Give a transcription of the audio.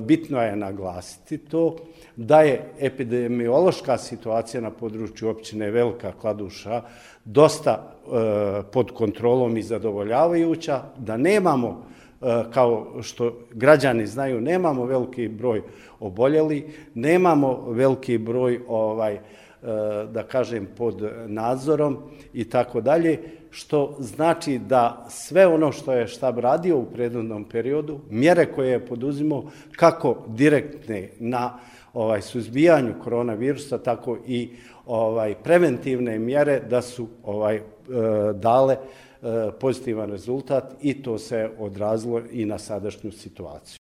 bitno je naglasiti to da je epidemiološka situacija na području općine Velika Kladuša dosta pod kontrolom i zadovoljavajuća, da nemamo, kao što građani znaju, nemamo veliki broj oboljelih, nemamo veliki broj da kažem pod nadzorom i tako dalje, što znači da sve ono što je štab radio u prethodnom periodu, mjere koje je poduzimao kako direktne na suzbijanju koronavirusa, tako i preventivne mjere da su dale pozitivan rezultat i to se odrazilo i na sadašnju situaciju.